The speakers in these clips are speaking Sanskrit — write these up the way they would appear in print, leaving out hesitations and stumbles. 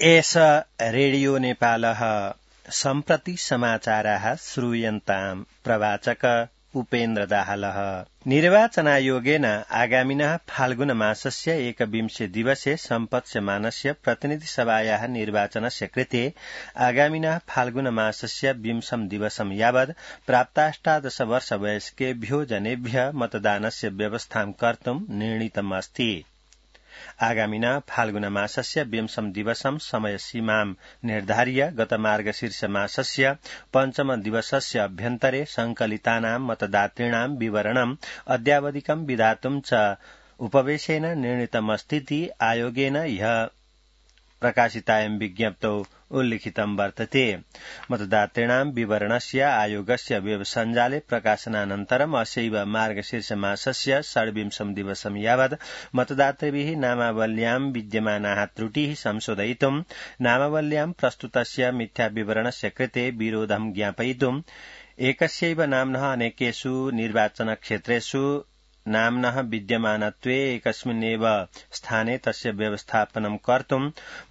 एष रेडियो नेपालः सम्प्रति समाचाराः श्रूयन्ताम् प्रवाचक उपेन्द्र दाहालः। निर्वाचनायोगेन आगामिनः फाल्गुनमासस्य 21 दिवसे सम्पत्स्यमानस्य प्रतिनिधिसभायाः निर्वाचनस्य कृते आगामिनः फाल्गुनमासस्य 20 दिवसं यावत् प्राप्ताष्टादश वर्षवयस्केभ्यो जनेभ्यः मतदानस्य व्यवस्थां कर्तुं निर्णीतमस्ति। आगामिनः फाल्गुनमासस्य 20 दिवसं समयसीमां निर्धार्य गत मार्गशीर्षमासस्य 5 दिवसस्य अभ्यन्तरे संकलितानां मतदातॄणां विवरणम् अद्यावधिकं विधातुं च उपवेशेन निर्णीतमस्तीति आयोगेन ह्यः प्रकाशितायां विज्ञप्तौ उल्लिखितं वर्तते। मतदातॄणां विवरणस्य आयोगस्य वेब सञ्जाले प्रकाशनानन्तरम् अस्यैव मार्गशीर्षमासस्य 26 दिवसं यावत् मतदातृभिः नामावल्यां विद्यमानाः त्रुटिः संशोधयितुं नामावल्यां प्रस्तुतस्य मिथ्या विवरणस्य कृते विरोधं ज्ञापयितुं एकस्यैव नाम्नः अनेकेषु निर्वाचनक्षेत्रेषु नाम्नः विद्यमानत्वे एकस्मिन्नेव स्थाने तस्य व्यवस्थापनं कर्तुं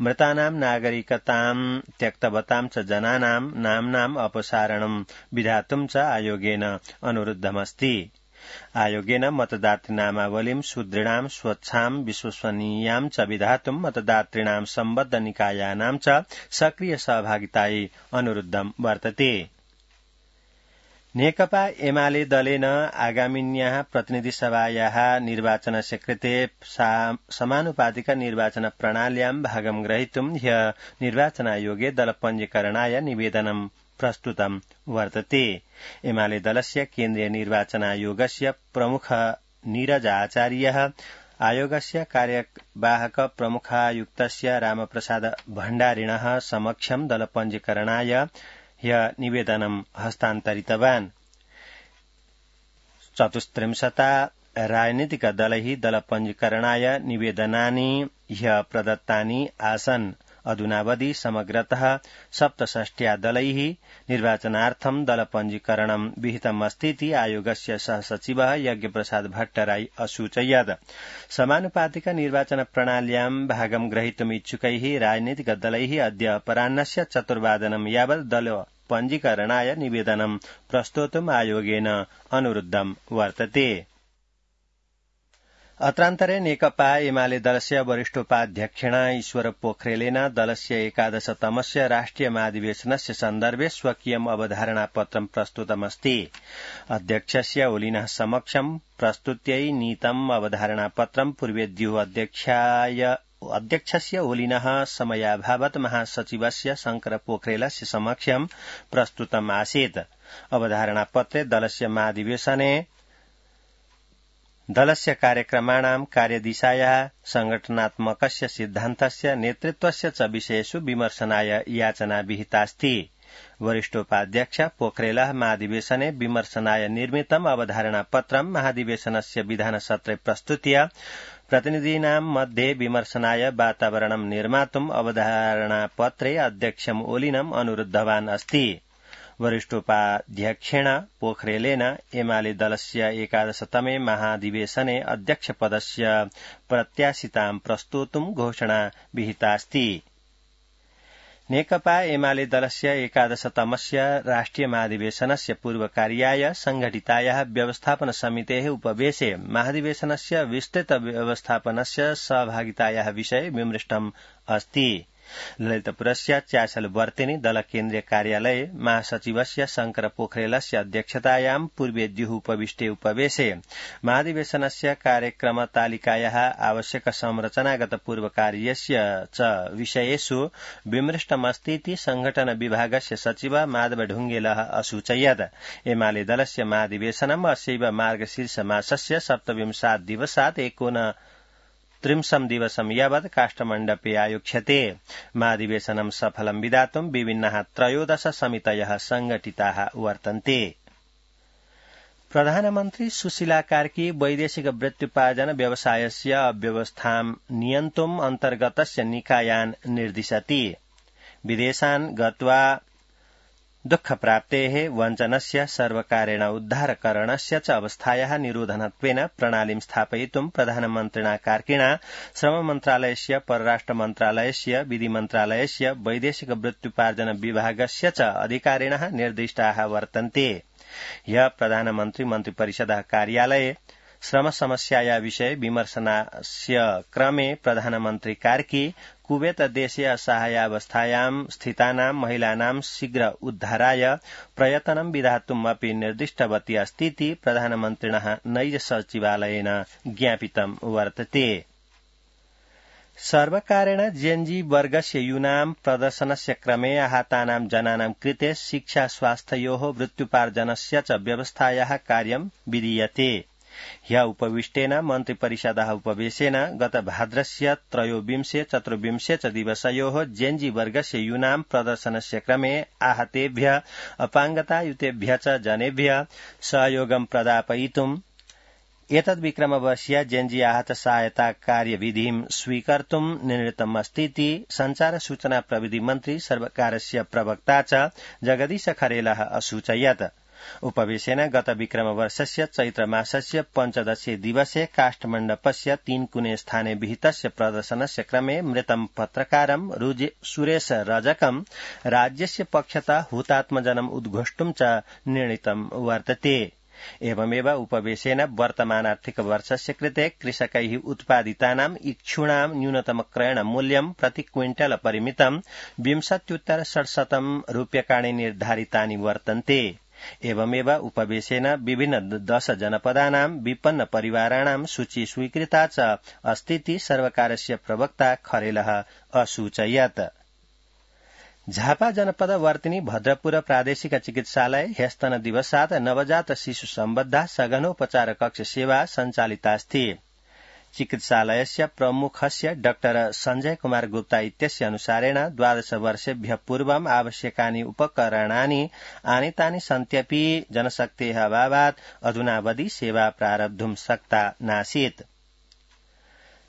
मृतानां नागरिकतां त्यक्तवतां च जनानां नाम्नाम् अपसारणं विधातुं च आयोगेन अनुरुद्धमस्ति। आयोगेन मतदातृनामावलीं सुदृढां स्वच्छां विश्वसनीयां च विधातुं मतदातॄणां सम्बद्ध निकायानां च सक्रिय सहभागितायै अनुरुद्धं वर्तते। नेकपा एमाले दलेन आगामिन्याः प्रतिनिधिसभायाः निर्वाचनस्य कृते समानुपातिक निर्वाचन प्रणाल्यां भागं ग्रहीतुं ह्यः निर्वाचनायोगे दलपञ्जीकरणाय निवेदनं प्रस्तुतं वर्तते। एमाले दलस्य केन्द्रीय निर्वाचनायोगस्य प्रमुख नीरज आचार्यः आयोगस्य कार्यवाहक प्रमुखायुक्तस्य रामप्रसाद भण्डारिणः समक्षं दलपञ्जीकरणाय ह्यः निवेदनं हस्तान्तरितवान्। 34 राजनीतिकदलैः दलपञ्जीकरणाय निवेदनानि ह्यः प्रदत्तानि आसन्। अधुनावधि समग्रतः 67 दलैः निर्वाचनार्थं दलपञ्जीकरणं विहितमस्तीति आयोगस्य सहसचिवः यज्ञप्रसाद भट्टराई असूचयत्। समानुपातिक निर्वाचन प्रणाल्यां भागं ग्रहीतुम् इच्छुकैः राजनीतिकदलैः अद्य अपराह्नस्य 4 वादनं यावत् दलपञ्जीकरणाय निवेदनं प्रस्तोतुम् आयोगेन अनुरुद्धं वर्तते। अत्रान्तरे नेकपा एमाले दलस्य वरिष्ठोपाध्यक्षेण ईश्वर पोखरेलेन दलस्य 11तमस्य राष्ट्रिय महाधिवेशनस्य सन्दर्भे स्वकीयम् अवधारणापत्रं प्रस्तुतमस्ति। अध्यक्षस्य ओलिनः समक्षं प्रस्तुत्यै नीतम् अवधारणापत्रं पूर्वेद्युः अध्यक्षस्य ओलिनः समयाभावत् महासचिवस्य शंकर पोखरेलस्य समक्षं प्रस्तुतम् आसीत्। अवधारणापत्रे दलस्य महाधिवेशने दलस्य कार्यक्रमाणां कार्यदिशायाः संगठनात्मकस्य सिद्धान्तस्य नेतृत्वस्य च विषयेषु विमर्शनाय याचना विहितास्ति। वरिष्ठोपाध्यक्ष पोखरेलः महाधिवेशने विमर्शनाय निर्मितम् अवधारणापत्रं महाधिवेशनस्य विधानसत्रे प्रस्तुत्य प्रतिनिधीनां मध्ये विमर्शनाय वातावरणं निर्मातुम् अवधारणापत्रे अध्यक्षम् ओलिनम् अनुरुद्धवान् अस्ति। वरिष्ठोपाध्यक्षेण पोखरेलेन एमाले दलस्य 11तमे महाधिवेशने अध्यक्षपदस्य प्रत्याशितां प्रस्तोतुं घोषणा विहितास्ति। नेकपा एमाले दलस्य 11तमस्य राष्ट्रिय महाधिवेशनस्य पूर्वकार्याय संघटितायाः व्यवस्थापन समितेः उपवेशे महाधिवेशनस्य विस्तृत व्यवस्थापनस्य सहभागितायाः विषये विमृष्टम् अस्ति। ललितपुरस्य चासलवर्तिनि दल केन्द्रीय कार्यालये महासचिवस्य शंकर पोखरेलस्य अध्यक्षतायां पूर्वेद्युः उपविष्टे उपवेशे महाधिवेशनस्य कार्यक्रमतालिकायाः आवश्यक संरचनागत पूर्वकार्यस्य च विषयेषु विमृष्टमस्तीति संघटन विभागस्य सचिव माधव ढुंगेलः असूचयत्। एमाले दलस्य महाधिवेशनम् अस्यैव मार्गशीर्षमासस्य 27 दिवसात् 39 दिवसं यावत् काष्ठमण्डपे आयोक्ष्यते। महाधिवेशनं सफलं विधातुं विभिन्नाः 13 समितयः संघटिताः वर्तन्ते। प्रधानमन्त्री सुशीला कार्की वैदेशिक वृत्त्युपार्जन व्यवसायस्य अव्यवस्थां नियन्तुम् अन्तर्गतस्य निकायान् निर्दिशति। विदेशान् गत्वा दुःखप्राप्तेः वञ्चनस्य सर्वकारेण उद्धारकरणस्य च अवस्थायाः निरोधनत्वेन प्रणालीं स्थापयितुं प्रधानमन्त्रिणा कार्किणा श्रममन्त्रालयस्य परराष्ट्रमन्त्रालयस्य विधिमन्त्रालयस्य वैदेशिकवृत्त्युपार्जन विभागस्य च अधिकारिणः निर्दिष्टाः वर्तन्ते। ह्यः प्रधानमन्त्री मन्त्रिपरिषदः कार्यालये श्रमसमस्याया विषये विमर्शनस्य क्रमे प्रधानमन्त्री कार्की कुवेत देशे असहायावस्थायां स्थितानां महिलानां शीघ्र उद्धाराय प्रयत्नं विधातुम् अपि निर्दिष्टवती अस्तीति प्रधानमन्त्रिणः नैज सचिवालयेन ज्ञापितं वर्तते। सर्वकारेण जेन्जी वर्गस्य यूनां प्रदर्शनस्य क्रमे आहतानां जनानां कृते शिक्षा स्वास्थ्ययोः वृत्त्युपार्जनस्य च व्यवस्थायाः कार्यं विधीयते। ह्यः उपविष्टेन मन्त्रिपरिषदः उपवेशेन गत भाद्रस्य 23-24 च दिवसयोः जेन्जी वर्गस्य यूनां प्रदर्शनस्य क्रमे आहतेभ्यः अपाङ्गतायुतेभ्यः च जनेभ्यः सहयोगं प्रदापयितुम् एतद्विक्रमवर्षीया जेन्जी आहत सहायता कार्यविधिं स्वीकर्तुं निर्णीतमस्तीति सञ्चार सूचना प्रविधि मन्त्री सर्वकारस्य प्रवक्ता च जगदीश खरेलः असूचयत्। उपवेशेन गत विक्रमवर्षस्य चैत्रमासस्य 15 दिवसे काष्ठमण्डपस्य 3 कुने स्थाने विहितस्य प्रदर्शनस्य क्रमे मृतं पत्रकारं सुरेश रजकं राज्यस्य पक्षतः हुतात्मजनम् उद्घोष्टुं च निर्णीतं वर्तते। एवमेव उपवेशेन वर्तमानार्थिकवर्षस्य कृते कृषकैः उत्पादितानां इक्षूणां न्यूनतम क्रयण मूल्यं प्रति क्विंटल परिमितं 20,600 रूप्यकाणि निर्धारितानि वर्तन्ते। एवमेव उपवेशेन विभिन्न 10 जनपदानां विपन्न परिवाराणां सूची स्वीकृता च अस्तीति सर्वकारस्य प्रवक्ता खरेलः असूचयत्। झापा जनपद वर्तिनी भद्रपुर प्रादेशिक चिकित्सालय ह्यस्तन दिवसात् नवजात शिशु सम्बद्धा सघनोपचार कक्ष सेवा सञ्चालितास्ति। चिकित्सालयस्य प्रमुखस्य डाक्टर संजय कुमार गुप्ता इत्यस्य अनुसारेण 12 वर्षेभ्यः पूर्वम् आवश्यकानि उपकरणानि आनीतानि सन्त्यपि जनशक्तेः अभावात् अधुनावधि सेवा प्रारब्धुं शक्ता नासीत्।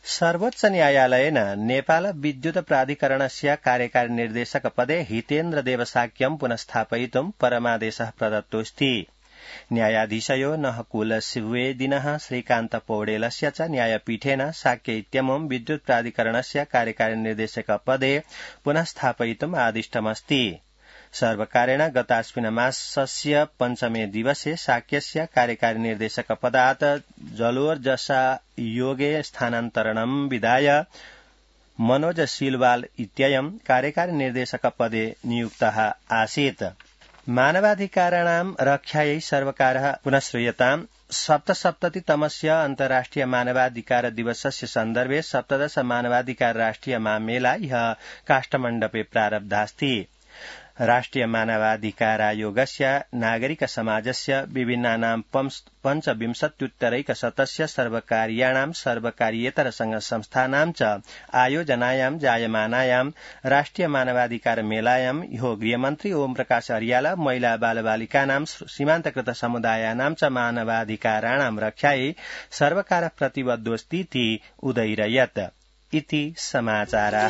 सर्वोच्च न्यायालयेन नेपाल विद्युत प्राधिकरणस्य कार्यकारी निर्देशक पदे हितेन्द्र देवसाक्यं पुनस्थापयितुं परमादेशः प्रदत्तोऽस्ति। न्यायाधीशयो नहकुल सुवेदिनः श्रीकान्त पौडेलस्य च न्यायपीठेन साक्य इत्यमुं विद्युत प्राधिकरणस्य कार्यकारी निर्देशक पदे पुनस्थापयितुम् आदिष्टमस्ति। सर्वकारेण गतास्मिन् मासस्य 5 दिवसे साक्यस्य कार्यकारी निर्देशक पदात् जलोर्जसा योगे स्थानान्तरणं विधाय मनोज सिलवाल इत्ययं कार्यकारी निर्देशक पदे नियुक्तः आसीत्। मानवाधिकाराणां रक्षायै सर्वकारः पुनः श्रूयताम् 77तमस्य अन्तर्राष्ट्रिय मानवाधिकार दिवसस्य सन्दर्भे 17 मानवाधिकार राष्ट्रिय महामेला ह्यः काष्ठमण्डपे प्रारब्धास्ति। राष्ट्रिय मानवाधिकारायोगस्य नागरिक समाजस्य विभिन्नानां 25,उत्तरैकशतस्य सर्वकारीयाणां सर्वकारीयेतर संघ संस्थानां च आयोजनायां जायमानायां राष्ट्रिय मानवाधिकार मेलायां ह्यो गृहमन्त्री ओम प्रकाश अर्याल महिला बालबालिकानां सीमान्तकृत समुदायानां च मानवाधिकाराणां रक्षायै सर्वकारः प्रतिबद्धोऽस्तीति उदयिरयत्। इति समाचाराः।